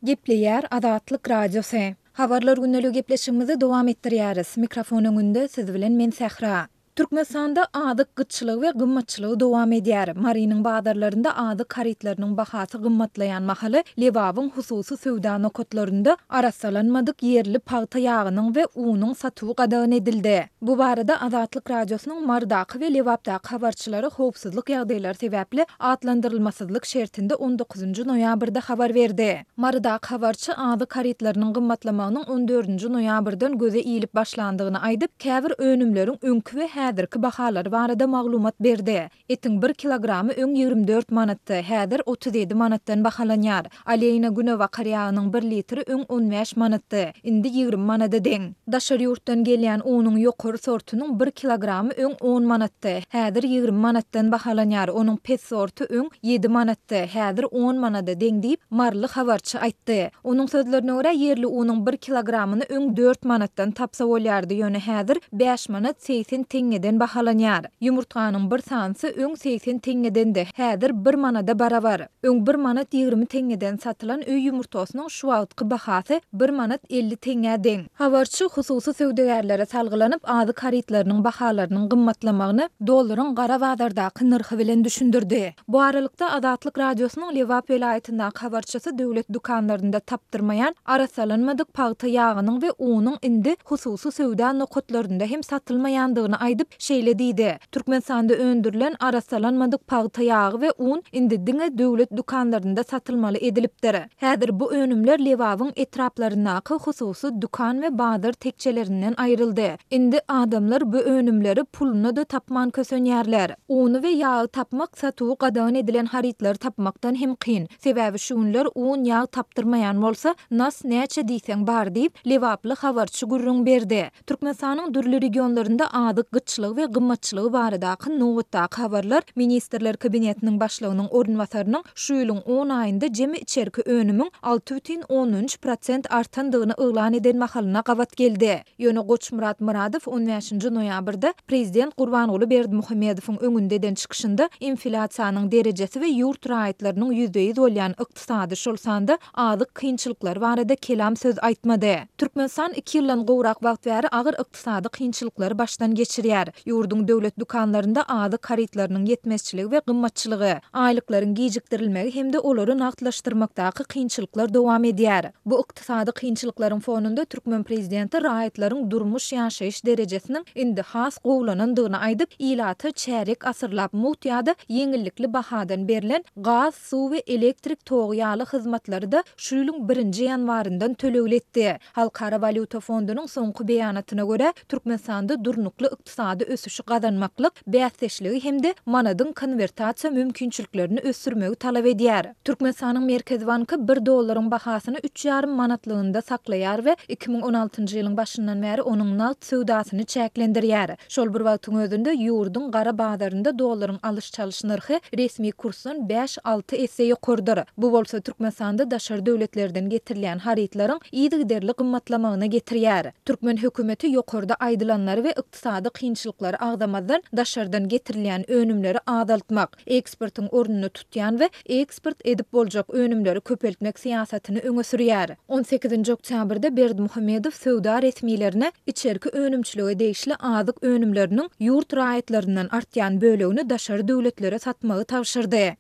Gepleýär Azatlyk Radiosy. Habarlar gündeligi gepleşigimizi dowam etdirýäris. Mikrofon öňünde siz bilen men Sähra. Türkmenistanda azyk gytçylygy we gymmatçylygy dowam edýär. Marynyň bazarlarynda azyk harytlarynyň bahasy gymmatlaýan mahaly, Lebabyň hususy söwda nokatlarynda arassalanmadyk ýerli pagta ýagynyň we unuň satuwy gadagan edildi. Bu barada Azatlyk Radiosynyň Marydaky we Lebapdaky habarçylary howpsuzlyk ýagdaýlary sebäpli atlandyrylmasyzlyk şertinde on dokuzynjy noýabrda habar berdi. Marydaky habarçy azyk harytlarynyň gymmatlamagynyň on dördünji noýabrdan göze ilip başlandygyny aýdyp, käbir önümleriň öňki we häzirki bahalary barada maglumat berdi. Etiň bir kilogramy öň 24 manatdy, häzir 37 manatdan bahalanýar. Oleýna günebakar ýagynyň bir litri öň 15 manatdy, indi 20 manada deň. Daşary ýurtdan gelýän unuň ýokary sortunyň bir kilogramy öň on manatdy, häzir 20 manatdan bahalanýar, onuň pes sorty öň ýedi manatdy, häzir on manada deň diýip, maryly habarçy aýtdy. Onuň sözlerine görä, ýerli unuň bir kilogramyny öň dört manatdan tapsa bolýardy, ýöne häzir bäş manat 80 teňňeden bahalanýar. Ýumurtganyň bir sanysy öň 80 teňňedendi, häzir bir manada barabar. Öň bir manat 20 teňňeden satylan öý ýumurtgasynyň şu wagtky bahasy bir manat 50 teňňä deň. Habarçy hususy söwdagärlere salgylanyp, azyk harytlarynyň bahalarynyň gymmatlamagyny dollaryň gara bazardaky nyrhy bilen düşündirdi. Bu aralykda, Azatlyk Radiosynyň Lebap welaýatyndaky habarçysy döwlet dükanlarynda tapdyrmaýan arassalanmadyk pagta ýagynyň we unuň indi hususy söwda nokatlarynda hem satylmaýandygyny aýdyp, şeýle diýdi, Türkmenistanda öndürilen arassalanmadyk pagta ýagy we un indi diňe döwlet dükanlarynda satylmaly edilipdir. Häzir bu önümler Lebabyň etraplaryndaky hususy dükan we bazar tekjelerinden aýryldy. Indi adamlar bu önümleri puluna-da tapman kösenýärler. Uny we ýagy tapmak satuwy gadagan edilen harytlary tapmakdan hem kyn. Sebäbi şu günler un, ýag tapdyrmaýan bolsa, nas näçe diýseň bar diýip, lebaply habarçy gürrüň berdi. Türkmenistanyň dürli regionlarynda azyk gytçylygy we gymmatçylygy baradaky nobatdaky habarlar Ministrler Kabinetiniň Başlygynyň orunbasarynyň şu ýylyň on aýynda jemi içerki önümiň 6,3 prosent artandygyny yglan eden mahalyna gabat geldi. Ýöne Goçmyrat Myradow on bäşinji noýabrda prezident Gurbanguly Berdimuhamedowyň öňünde eden çykyşynda inflýasiýanyň derejesi we ýurt raýatlarynyň ýüzbe-ýüz bolýan ykdysady, şol sanda azyk kynçylyklary barada kelam söz aýtmady. Türkmenistan iki ýyldan gowrak wagt bäri agyr ykdysady kynçylyklary başdan geçirýär. Ýurduň döwlet dükanlarynda azyk harytlarynyň ýetmezçiligi we gymmatçylygy, aýlyklaryň gijikdirilmegi hem-de olary nagtlaşdyrmakdaky kynçylyklar dowam edýär. Bu ykdysady kynçylyklaryň fonunda türkmen prezidenti raýatlaryň durmuş-ýaşaýyş derejesiniň indi has gowulanandygyny aýdyp, ilata çärýek asyrlap mugt ýa-da ýeňillikli bahadan berlen gaz, suw we elektrik togy ýaly hyzmatlary-da şu ýylyň birinji ýanwaryndan tölegli etdi. Halkara walýuta fondunyň soňky beýanatyna görä, Türkmenistanda durnukly ykdysady ösüşi gazanmaklyk bäsdeşligi hem-de manadyň konwertasiýa mümkinçiliklerini ösdürmegi talap edýär. Türkmenistanyň Merkezi banky bir dollaryň bahasyny üç ýarym manatlygynda saklaýar we 2016-njy ýylyň başyndan bäri onuň nagt söwdasyny çäklendirýär. Şol bir wagtyň özünde, ýurduň gara bazarynda dollaryň alyş-çalyş nyrhy resmi kursdan bäş-alty esse ýokarydyr. Bu bolsa Türkmenistanda daşary döwletlerden getirilýän harytlaryň yzygiderli gymmatlamagyna getirýär. Türkmen hökümeti ýokarda aýdylanlary we ykdysady kynçylyklary agzamazdan, daşardan getirilýän önümleri azaltmak, eksportyň ornuny tutýan we eksport edip boljak önümleri köpeltmek syýasatyny öňe sürýär. On sekizinji oktýabrda Berdimuhamedow söwda resmilerine içerki önümçilige degişli azyk önümleriniň ýurt raýatlaryndan artýan bölegini daşary döwletlere satmagy tabşyrdy.